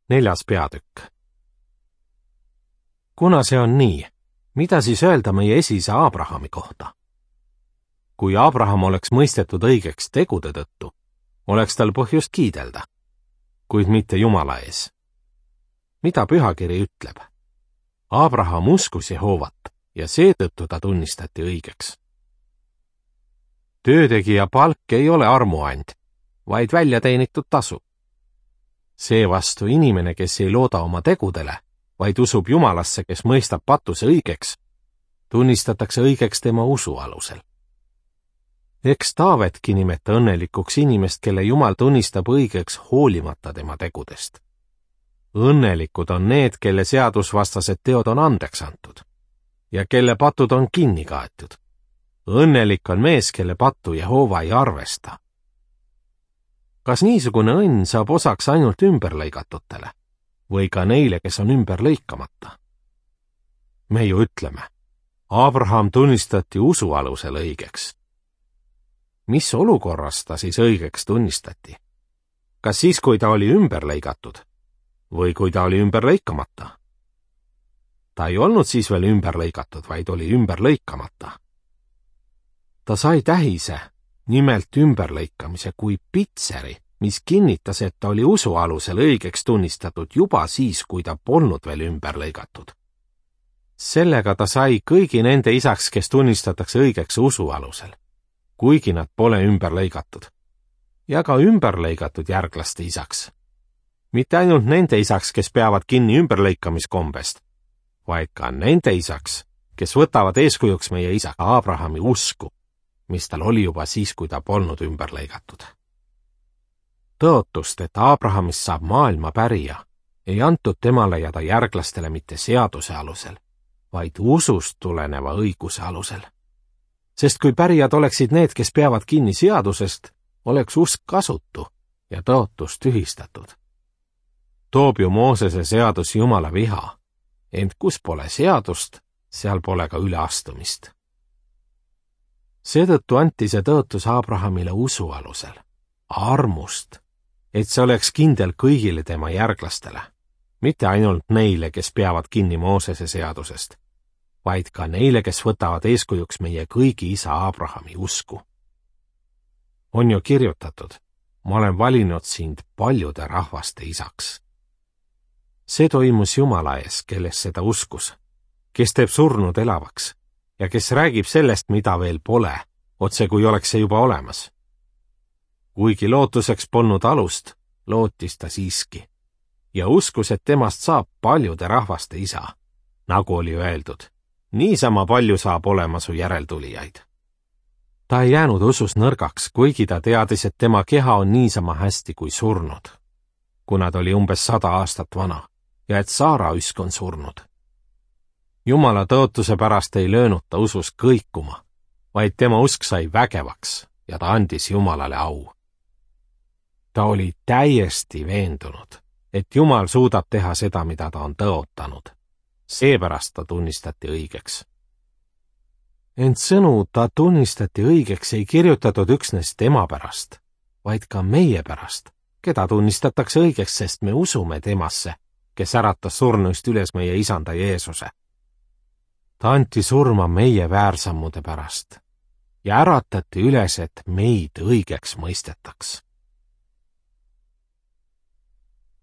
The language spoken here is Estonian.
4. peatükk. Kuna see on nii, mida siis öelda meie esiisa Abrahami kohta? Kui Abraham oleks mõistetud õigeks tegude tõttu, oleks tal põhjust kiidelda, kuid mitte Jumala ees. Mida pühakiri ütleb? Abraham uskus Jehovat ja seetõttu ta tunnistati õigeks. Töötegija palk ei ole armuand, vaid väljateenitud tasu. Seevastu inimene, kes ei looda oma tegudele, vaid usub Jumalasse, kes mõistab patuse õigeks, tunnistatakse õigeks tema usu alusel. Eks Taavetki nimeta õnnelikuks inimest, kelle Jumal tunnistab õigeks hoolimata tema tegudest. Õnnelikud on need, kelle seadusvastased teod on andeks antud ja kelle patud on kinni kaetud. Õnnelik on mees, kelle pattu Jehova ei arvesta. Kas niisugune õnn saab osaks ainult ümberlõigatutele või ka neile, kes on ümberlõikamata? Me ju ütleme, Abraham tunnistati usu alusel õigeks. Mis olukorras ta siis õigeks tunnistati? Kas siis, kui ta oli ümberlõigatud või kui ta oli ümberlõikamata? Ta ei olnud siis veel ümberlõigatud, vaid oli ümberlõikamata. Ta sai tähise, nimelt ümberlõikamise kui pitseri, mis kinnitas, et ta oli usu alusel õigeks tunnistatud juba siis, kui ta polnud veel ümberlõigatud. Sellega ta sai kõigi nende isaks, kes tunnistatakse õigeks usu alusel, kuigi nad pole ümberlõigatud, ja ka ümberlõigatud järglaste isaks. Mitte ainult nende isaks, kes peavad kinni ümberlõikamiskombest, vaid ka nende isaks, kes võtavad eeskujuks meie isa Abrahami usku, mis tal oli juba siis, kui ta polnud ümberlõigatud. Tõotust, et Abrahamist saab maailma pärija, ei antud temale ja ta järglastele mitte seaduse alusel, vaid usust tuleneva õiguse alusel. Sest kui pärijad oleksid need, kes peavad kinni seadusest, oleks usk kasutu ja tõotus tühistatud. Toob ju Moosese seadus Jumala viha, ent kus pole seadust, seal pole ka üleastumist. Seetõttu anti see tõotus Abrahamile usu alusel, armust, et see oleks kindel kõigile tema järglastele, mitte ainult neile, kes peavad kinni Moosese seadusest, vaid ka neile, kes võtavad eeskujuks meie kõigi isa Abrahami usku. On ju kirjutatud, ma olen valinud sind paljude rahvaste isaks. See toimus Jumala ees, kelles seda uskus, kes teeb surnud elavaks ja kes räägib sellest, mida veel pole, otse kui oleks see juba olemas. Kuigi lootuseks polnud alust, lootis ta siiski ja uskus, et temast saab paljude rahvaste isa, nagu oli öeldud, niisama palju saab olema su järeltulijaid. Ta ei jäänud usus nõrgaks, kuigi ta teadis, et tema keha on niisama hästi kui surnud, kuna ta oli umbes 100 aastat vana ja et Saara üsk on surnud. Jumala tõotuse pärast ei löönud ta usus kõikuma, vaid tema usk sai vägevaks ja ta andis Jumalale au. Ta oli täiesti veendunud, et Jumal suudab teha seda, mida ta on tõotanud. Seepärast ta tunnistati õigeks. Ent sõnu ta tunnistati õigeks ei kirjutatud üksnes tema pärast, vaid ka meie pärast, keda tunnistatakse õigeks, sest me usume temasse, kes äratas surnuist üles meie isanda Jeesuse. Ta anti surma meie väärsammude pärast ja äratati üles, et meid õigeks mõistetaks.